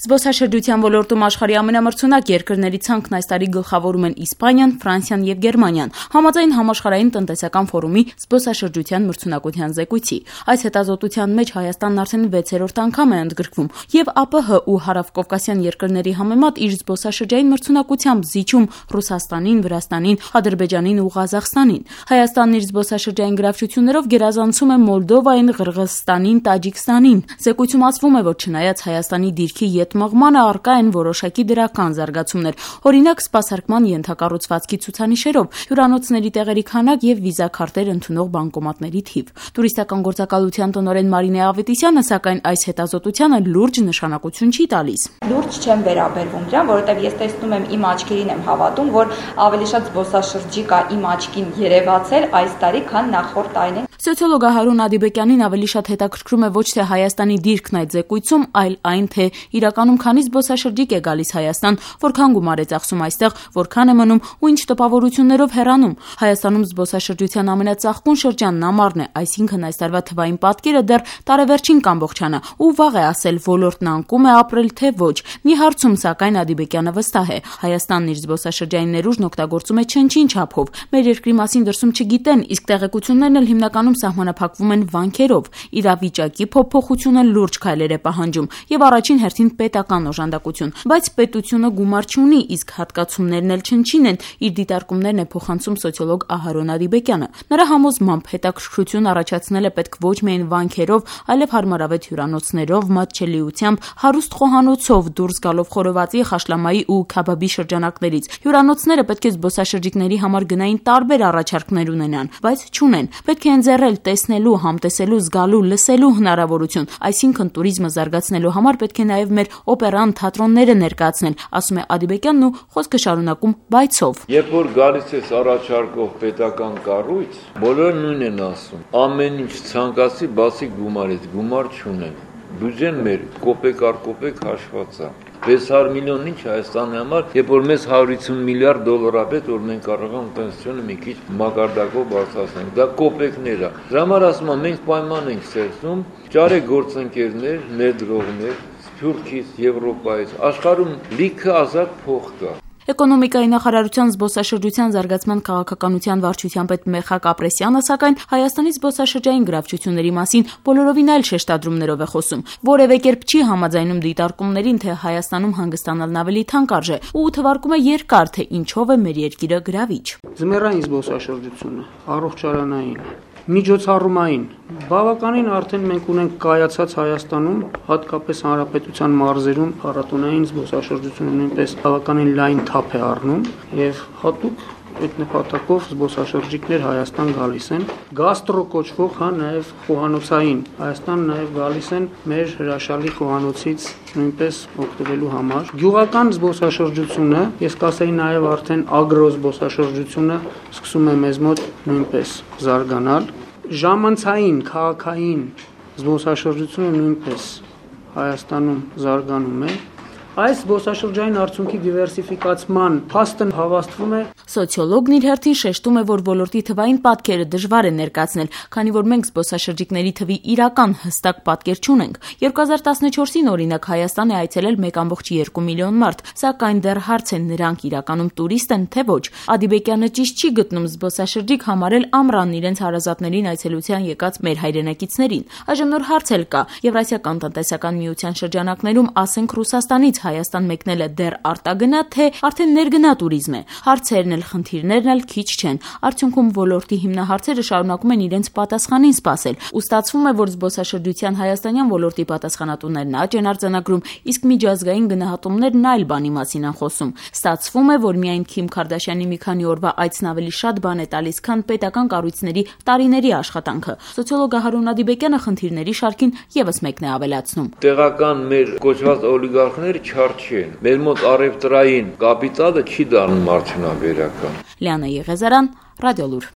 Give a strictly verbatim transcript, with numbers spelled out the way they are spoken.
Զբոսաշրջության ոլորտում աշխարհի ամենամրցունակ երկրների ցանկն այս տարի գլխավորում են Իսպանիան, Ֆրանսիան եւ Գերմանիան, համաձայն համաշխարհային տնտեսական ֆորումի զբոսաշրջության մրցունակության զեկույցի։ Այս հետազոտության մեջ Հայաստանն արդեն վեցերորդ անգամ է ընդգրկվում եւ ԱՊՀ ու հարավկովկասյան երկրների համեմատ իր զբոսաշրջային մրցունակությամբ զիջում Ռուսաստանին, Վրաստանին, Ադրբեջանին ու Ղազախստանին։ Հայաստանն իր զբոսաշրջային գրավչություններով գերազանցում է Մոլդովային, Ղրղզստանին, Տաջիկստանին։ Զեկույցում ասվում է, որ չնայած Հայաստանի դիրքի ետ մղմանը առկա են որոշակի դրական զարգացումներ, օրինակ սպասարկման ենթակառուցվածքի ցուցանիշերով, հյուրանոցների տեղերի քանակ եւ վիզաքարտեր ընդունող բանկոմատների թիվ։ Տուրիստական գործակալության տնօրեն Մարինե Ավետիսյանը սակայն այս հետազոտությանը լուրջ նշանակություն չի տալիս։ Լուրջ չեմ վերաբերվում դրան, որովհետեւ ես տեսնում եմ իմ աչքերին եմ հավատում, որ ավելի շատ զբոսաշրջիկ է իմ աչքին երևացել այս տարի, քան նախորդ տարիներին։ Սոցիոլոգ Հարուն Ադիբեկյանին ավելի շատ հետաքրքրում է ոչ թե Հայաստանի դիրքն այդ զեկույցում, այլ այն, թե իրականում քանի զբոսաշրջիկ է գալիս Հայաստան, որքան գումար է ծախսում այստեղ, որքան է մնում ու ինչ տպավորություններով հեռանում։ Հայաստանում զբոսաշրջության ամենածաղկուն շրջանն ամառն է, այսինքն այս տարվա թվային պատկերը դեռ տարեվերջին կամբողջանա ու վաղ է ասել ոլորտն անկում է ապրել թե ոչ։ Մի հարցում սակայն Ադիբեկյանը վստահ է, Հայաստանն իր զբոսաշրջային ներուժն օգտագործում է չնչին չափով։ Մեր երկրի մասին դրսում չգիտեն, իսկ տեղեկություններն էլ հիմնականում սահմանափակվում են վանքերով։ Իրավիճակի փոփոխությունը լուրջ քայլեր է պահանջում եւ առաջին հերթին պետական օժանդակություն, բայց պետությունը գումար չունի, իսկ հատկացումներն էլ չնչին են, իր դիտարկումներն է փոխանցում սոցիոլոգ Ահարոն Ադիբեկյանը։ Նրա համոզմամբ հետաքրքրություն առաջացնել է պետք ոչ միայն վանքերով, այլև հարմարավետ հյուրանոցներով, մատչելիությամբ, հարուստ խոհանոցով, դուրս գալով խորովածի, խաշլամայի ու քաբաբի շրջանակներից։ Հյուրանոցները պետք է զբոսաշրջիկների համար գնային տարբեր առաջարկներ ունենան, բայց չունեն։ Պետք է ընձեռել տեսնելու, համտեսելու, զգալու, լսելու հնարավորություն, այսինքն туриզմը զարգացնելու համար պետք է նաև մեր օպերան, թատրոնները ներկայացնել, ասում է Ադիբեկյանն ու խոսքը շարունակում բայցով։ Երբ որ գալիս է առաջարկող պետական կառույց, բոլորը նույնն են ասում. ամեն ինչ ցանկացի, բացի գումարից, գումար չունեն։ Բյուջեն մեր կոպեկ առ կոպեկ հաշված է։ վեց հարյուր միլիոն ինչ Հայաստանի համար, երբ որ մեզ հարյուր ութսուն միլիարդ դոլար է պետք, որ մենք կարող ենք պենսիոնը մի քիչ մակարդակով բարձրացնենք։ Դա կոպեկներ է։ Դրա համար ասում եմ, մենք պայման ենք ստեղծում, ճարեք գործընկերներ, ներդրողներ, Սփյուռքից, Եվրոպայից, աշխարհում լիքը ազատ փող կա։ Էկոնոմիկայի նախարարության զբոսաշրջության զարգացման քաղաքականության վարչության պետ Մեխակ Ապրեսյանը սակայն Հայաստանի զբոսաշրջային գրավչությունների մասին բոլորովին այլ շեշտադրումներով է խոսում։ Որևէ կերպ չի համաձայնում դիտարկումներին, թե Հայաստանում հանգստանալն ավելի թանկ արժե ու թվարկում է երկար, թե ինչով է մեր երկիրը գրավիչ։ Ձմեռային զբոսաշրջությունը, առողջարանային, միջոցառումային, բավականին արդեն մենք ունենք կայացած Հայաստանում, հատկապես հանրապետության մարզերում փառատոնային զբոսաշրջությունը նույնպես բավականին լայն թափ է առնում եւ հատուկ այդ նպատակով զբոսաշրջիկներ Հայաստան գալիս են, գաստրո կոչվող, հա նաեւ խոհանոցային Հայաստան նաեւ գալիս են մեր հրաշալի խոհանոցից նույնպես օգտվելու համար։ Գյուղական զբոսաշրջությունը, ես կասեի նաեւ արդեն ագրո զբոսաշրջությունը սկսում է մեզ մոտ նույնպես զարգանալ։ Ժամանցային, քաղաքային զբոսաշրջությունը նույնպես Հայաստանում զարգանում է։ Այս զբոսաշրջային արդյունքի դիվերսիֆիկացման փաստը հավաստվում է։ Սոցիոլոգն իր հերթին շեշտում է, որ ոլորտի թվային պատկերը դժվար է ներկայացնել, քանի որ մենք զբոսաշրջիկների թվի իրական հստակ պատկեր չունենք։ երկու հազար տասնչորսին օրինակ Հայաստան է այցելել մեկ կόμma երկու միլիոն մարդ, սակայն դեռ հարց է նրանք իրականում տուրիստ են, թե ոչ։ Ադիբեկյանը ճիշտ չի գտնում զբոսաշրջիկ համարել ամռանն իրենց հարազատներին այցելության եկած մեր հայրենակիցներին։ Այժմ նոր հարց էլ կա։ Եվրասիական տնտեսական միության շրջանակներում, ասենք Ռուսաստանից Հայաստան մեկնելը դեռ արտագնա, թե արդեն ներգնա туриզմ է։ Հարցերն էլ խնդիրներն էլ քիչ չեն։ Արդյունքում ոլորտի հիմնահարցերը շարունակում են իրենց պատասխանին սպասել։ Ու ստացվում է, որ զբոսաշրջության հայաստանյան ոլորտի պատասխանատուներն աճ են արձանագրում, իսկ միջազգային գնահատումներն այլ բանի մասին են խոսում։ Ստացվում է, որ միայն Քիմ Քարդաշյանի մի քանի օրվա այցն ավելի շատ բան է տալիս, քան պետական կառույցների տարիների աշխատանքը։ Սոցիոլոգ Հարուն Ադիբեկյանը խնդիրների շարքին եւս մեկն է ավելացնում։ Տեղական մեր կոչված օլիգարխները չարչի են։ Մեր մոտ առևտրային կապիտալը չի դառնում արդյունաբերական։ Լիանա Եղեզարյան, Ռադիոլուր։